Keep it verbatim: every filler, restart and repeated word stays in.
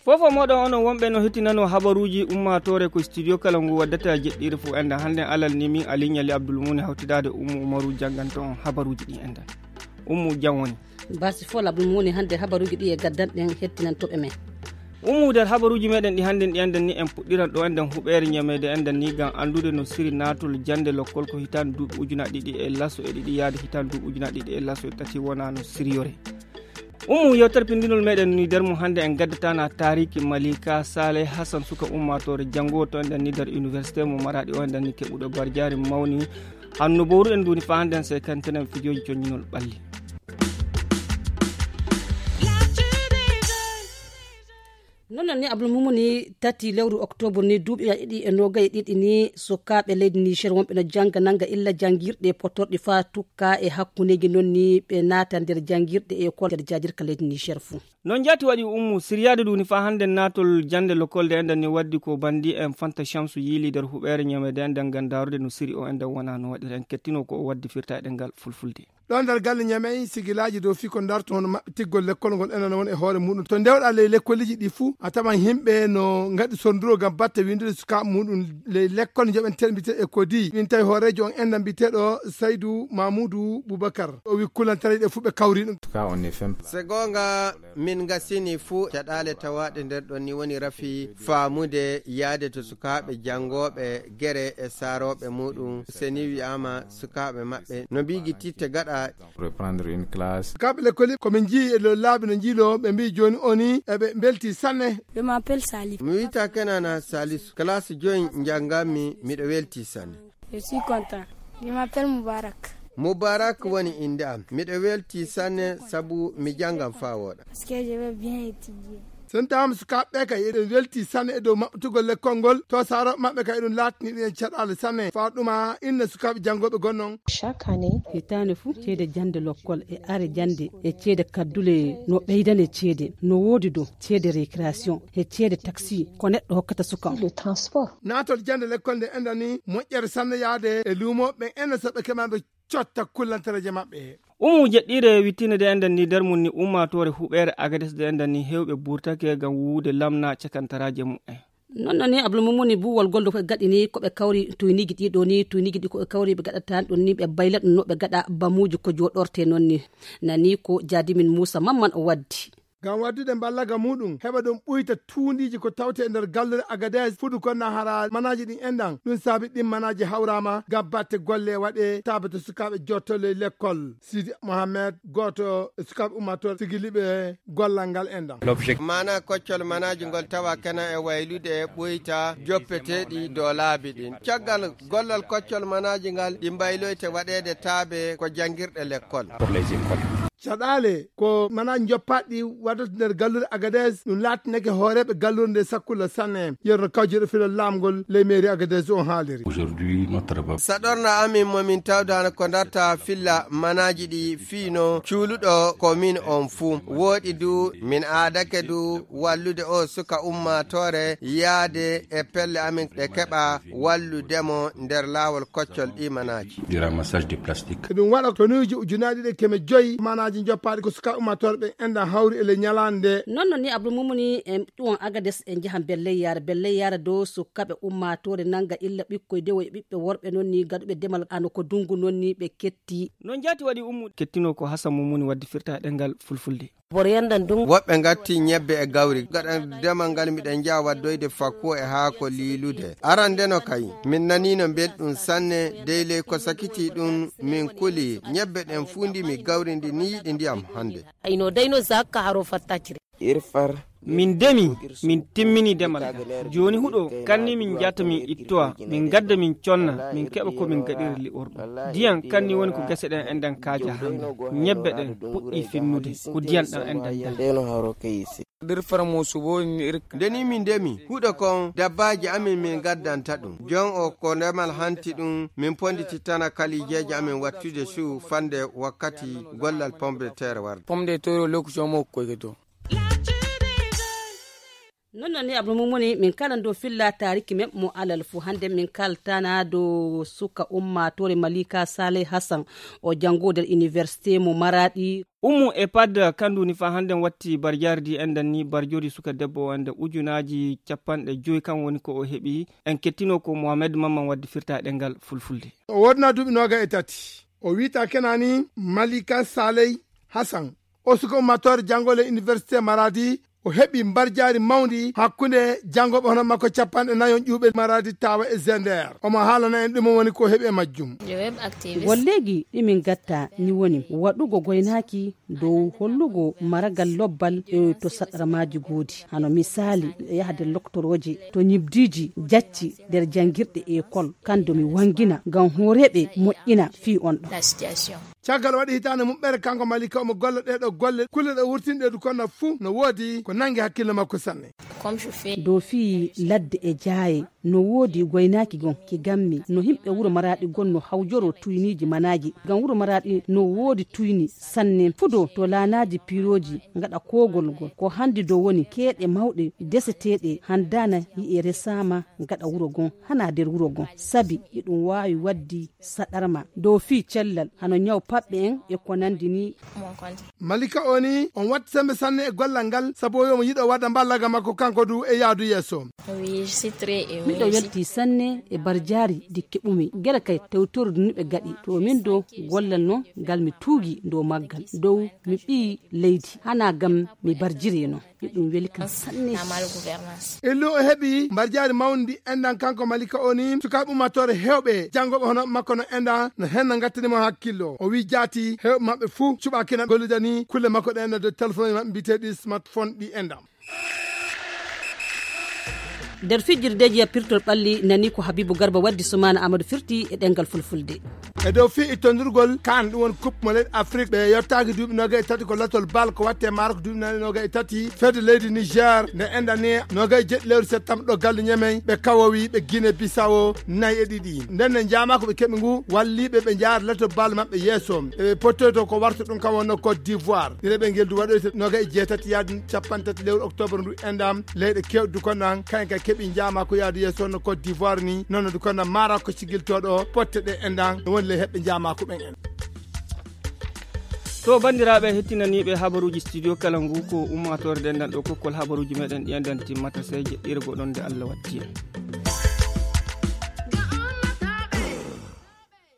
Fofo moɗon onon wonɓe no hettinano habaruuji ummaatoore ko studio kala ngu waddata jeɗɗiire fof enden. Hannde alal ni min Aliou Nialy Abdoul Moumouni hawtidaade Oumou Oumarou jannganta on habaruuji ɗi enden. Oumou, jam woni? Basi fof Abdoul Moumouni, hannde habaruuji ɗi e gaddanɗen hettinantooɓe men. Oumou, nder habaruuji meɗen ɗi hannde ɗi enden ni en puɗɗiran ɗo enden huɓeere ñameede enden ni ngam anndude no siri naatol jannde lokkol ko hitaande duuɓi ujunaaji ɗiɗi e laso e ɗiɗi yaade hitaande duuɓi ujunaaji ɗiɗi e laso e tati wona no siriyore. Oumou, yewtere pinndinol meɗen ni nder mum hannde en gaddatana taariki Malika Saleh Hassan, suka ummaatoore janngo to enden ni nder université mo Maradi o enden ni keɓuɗo barjaari mawni. Hanno bowruɗen nduni fa hannde en sekantenen fijooji coññinol ɓalli. Noon noon ni Abdoul Moumouni, tati lewru octobre ni duuɓi ɗiɗi e noogay e ɗiɗi ni sukaaɓe leydi Niger wonɓe no jannga nannga illa janngirɗe potorɗi fa tukka e hakkundeeji noon ni ɓe naata nder janngirɗe e école nder jaajirka leydi Niger fuu. Noon jaati waɗi Oumou, siryaade ɗum ni faa hannde naatol jannde lokkolde enden ni waddi ko banndi en Fanta Shamsu yiili nder huɓeere ñameede enden ngam ndaarude no siri o enden wona no waɗira en kettino ko o waddi firta e ɗemngal fulfulde. Ɗo nder galle Ñamey, sigilaaji dow fii ko darto hono maɓɓitirgol lekkol ngol enen woni e hoore muɗum. To ndewɗaa ley lekkoliji ɗi fuu, a tawan yimɓe no ngaɗi sornduro ngam batte winndude sukaaɓe muɗum ley lekkol njoɓenteeɗo mbiyeteeɗo e kodi. Min tawi hooreejo on enden mbiyeteeɗo Saydu Mamuudu Bubakar. O wi kulantareeji ɗe fuu ɓe kawri ɗum. Se goonga, min ngasini fuu caɗaale tawaaɗe nder ɗon ni woni rafi faamude yaade to sukaaɓe janngooɓe gere e saarooɓe muɗum. Se ni wi'aama sukaaɓe maɓɓe no mbiigi titte gaɗa. Reprendre une classe. Sukaaɓe lekkoli ko min njii e loo laabi no njiiloo ɓe mbii jooni o ni eɓe mbeltii sanne. Je m'appelle Salif. Mi wiyata Kenana Salisu. Classe joyi njannganmi, miɗo weltii sanne. Je suis content. Je m'appelle Moubarak. Moubarak woni innde am. Miɗo weltii sanne sabu mi janngan faa wooɗa. Parce que je vais bien étudier. So tawama sukaaɓe ɓe kay eɗen weltii sanne e dow maɓɓitugol lekkol ngol, to saarooɓe maɓɓe kay eɗum laatini ɗum en caɗaale sanne. Faa ɗuma inna sukaaɓe janngooɓe gonnon. Chaque année. Hitaande fuu ceede jannde lokkol e are jannde e ceede kaddule no ɓeydane ceede, no woodi dow ceede récréation e ceede taxi ko neɗɗo hokkata suka. Le transport. Naatol jannde lekkol nde enden ni moƴƴere sanne yaade e luumo ɓen enden so ɓe keɓaama ɓe cotta kullantareeje maɓɓe. Umu jeɗɗiire wittiinde nde enden ni nder mum ni ummaatoore huɓeere Agades nde enden ni heewɓe burtake ngam wuwude lamna cakantaraaje mumen. Noon noon ni Abdul Mumuni buwol gol ko gaɗi ni ko ɓe kawri tuyniiji ɗi ɗo ni tuyniiji ɗi ko ɓe kawri ɓe gaɗata ɗum ni ɓe bayla ɗum no ɓe gaɗa bamuuji ko jooɗorte noon ni nani ko jaadimin Muusa Mamman o waddi. Ngam waddude mballaga muɗum heɓa ɗum ɓuyta tuundiiji ko tawte e nder gallure Agades fuɗu ko na hara manaaji ɗin enɗan ɗum saabi ɗin manaaji hawraama ngam batte golle waɗe taabato sukaaɓe jottole lekkol. Sidi Mohamed gooto e sukaaɓe ummaatoore sigiliiɓe gollal ngal enɗan. Maana koccol manaaji ngol tawa kena e waylude ɓuyta joppeteeɗi dow laabi ɗin. Caggal gollal koccol manaaji ngal ɗi mbayloyte waɗeede taabe ko janngirɗe lekkol. Caɗaale ko manaaji njoppaaɗi waɗata nder gallure Agades ɗum laatinake hooreeɓe gallure nde sakkulla sanne. Yerno kawjirɗo filal laamgol ley meeri Agades on haaliri. Saɗorna amin mo min tawdaano ko darta filla manaaji ɗi fiino cuuluɗo ko min on fuu. Wooɗi du min aadake du wallude o suka ummaatoore yaade e pelle amin ɗe keɓa walludemo nder laawol koccol ɗi manaaji. Du ramassage de plastique. Eɗum waɗa tonuuji ujunaaji ɗiɗi keme joyi manaaji njoppaaɗi ko suka ummaatoore ɓen enɗan hawri e ley ñalaande nde. Noon noon ni Abdul Mumuni e ɗum on Agades e njaha Belleyyaare. Belleyyaare dow sukaaɓe ummaatoore nannga illa ɓikkoy dewo e ɓiɓɓe worɓe noon ni gaɗuɓe demal ano ko dunngu noon ni ɓe ketti. Noon jaati waɗi ummude. Kettino ko Hasan Mumuni waddi firta e ɗemngal fulfulde. Woɓɓe ngatti ñebbe e gawri. Gaɗa demal ngal miɗen njaha waddoyde fakko e haako liilude. Arande no kay, min naniino mbelɗum sanne, dey ley ko sakiti ɗum min kuli. Ñebbe ɗen fuu ndimi, gawri ndi ni yiɗi ndiyam hannde. Ayno dayno zakka haro fattacire. Min demi, min timmini demal ngal. Jooni huɗo, kanni min njata min ittowa, min ngadda min conna, min keɓa ko min gaɗira li'orɗum. Ndiyan kanni woni ko gese ɗen enɗan kaaja hannde. Ñebbe ɗen puɗɗii finnude, ko ndiyan ɗan enɗan ngal. Nder farmo subo ni irka. Nde ni min ndemi, huɗo kon dabbaaji amin min ngaddanta ɗum. Jon o ko ndemal hanti ɗum, min ponditittana kalijeeji amin wattude su fande wakkati gollal pomme de terre warde. Pomme de terre o lokaci o mo koyge to. Non non ni abdul mumuni min kala ndo filla tariki men mo alal fu hande min kaltana do suka ummatore malika saleh hassan o jango der université mo maradi. Ummu e pad kandu ni fa hande watti barjari di enden ni barjori suka debbo o ende ujunaji capanɗe joyi kan woni ko o heɓi. En kettino ko mohamed mamman waddi firta ɗengal fulfulde. O wodna duuɓi noga e tati. O wita kenani malika saleh hassan o suka ummatore jangole université maradi. O heɓi mbarjaari mawndi hakkunde janngoɓe hono makko capanɗe nayon ƴuuɓe maradi tawa e zender omo haalana en ɗum woni ko heɓi e majjum. Golleeji ɗi min gatta ni woni waɗugo goynaaki dow hollugo maragal lobbal e to saɗarmaaji goodi hano misaali miɗo yaha nder loktorooje to ñibdiiji jacci nder janngirɗe ekol kanndo mi wanngina ngam hooreeɓe moƴƴina fii on ɗo. Caggal waɗi hitaande muɓɓere kanko malika omo golla ɗeɗo golle kulle ɗe wurtinɗe du kono fuu no woodi ko nangi hakkille makko sanne. Dow fii ladde e jaaye no woodi goynaaki gon ki gammi no himɓe wuro maraɗi gon no hawjoro tuyniiji manaaji ngam wuro maraɗi no woodi tuyni sanne fudo to laanaaji piirooji ngaɗa koogol ngol ko hanndi dow woni keeɗe mawɗe deseteeɗe handaana yi'e resaama ngaɗa wuro gon hana nder wuro gon sabi iɗum waawi waddi saɗarma dow fii cellal hano ñaw paɓɓe en e ko nandi ni. Malika o ni on watti sembe sanne e gollal ngal sabu o yomo yiɗo wadda mballaga makko kanko du e yaadu yeeso. Miɗo welti sanne e barjaari di keɓumi gere kay tewtordu ni ɓe gaɗi to min do gollal non ngal mi tuugi dow maggal dow mi ɓii leydi hana gam mi barjiri non. Ɗum weli kam sanne. Illu o heɓi mbarjaari mawndi enɗan kanko malika o ni sukaaɓe ummatore hewɓe janngoɓe hono makko no enɗan no henna ngattani mo hakkillo o wi jaati hewɓe maɓɓe fuu cuɓakina gollidani kulle makko ɗe enɗan de téléphone maɓɓe mbiyeteɗi smartphone ɗi enɗan. Nder fijirdeeji yappirtol ɓalli nani ko habibu garba waddi sumaana amadou firti e ɗengal fulfulde. E dow fii ittondirgol kan ɗum woni coupe mo leyɗe afrique ɓe yettaaki duuɓi noga e tati ko latol bal ko watte maaro ko duuɓi nani noga e tati fedde leydi niger nde endani noga e jeɗɗi lewru septembre ɗo galle ñamey ɓe kawowi ɓe guine bisawo nayi e ɗiɗi nden ne jaama ko ɓe keɓi ngu walliɓe ɓe jaara latol bal maɓɓe yeeso eɓe pottoyto ko warta ɗum kam wonno côte d'ivoire ɗiɗe ɓe ngel du waɗoyta noga e jeetati yaade capanɗe tati lewru octobre ndu endam leyɗe kewɗe du kono an kayen ka keɓi jaama ko yaadu yeeso no côte d'ivoire ni nono du kono maara ko sigiltoɗo potte ɗe enɗan no woni ley heɓɓe njaamaku ɓen en. To banndiraaɓe hettinaniiɓe habaruuji studio kala ngu ko ummaatoore denndal ɗo kokkol habaruuji meɗen ɗi enɗan timmata sey jeɗɗirgo ɗon nde allah watti en.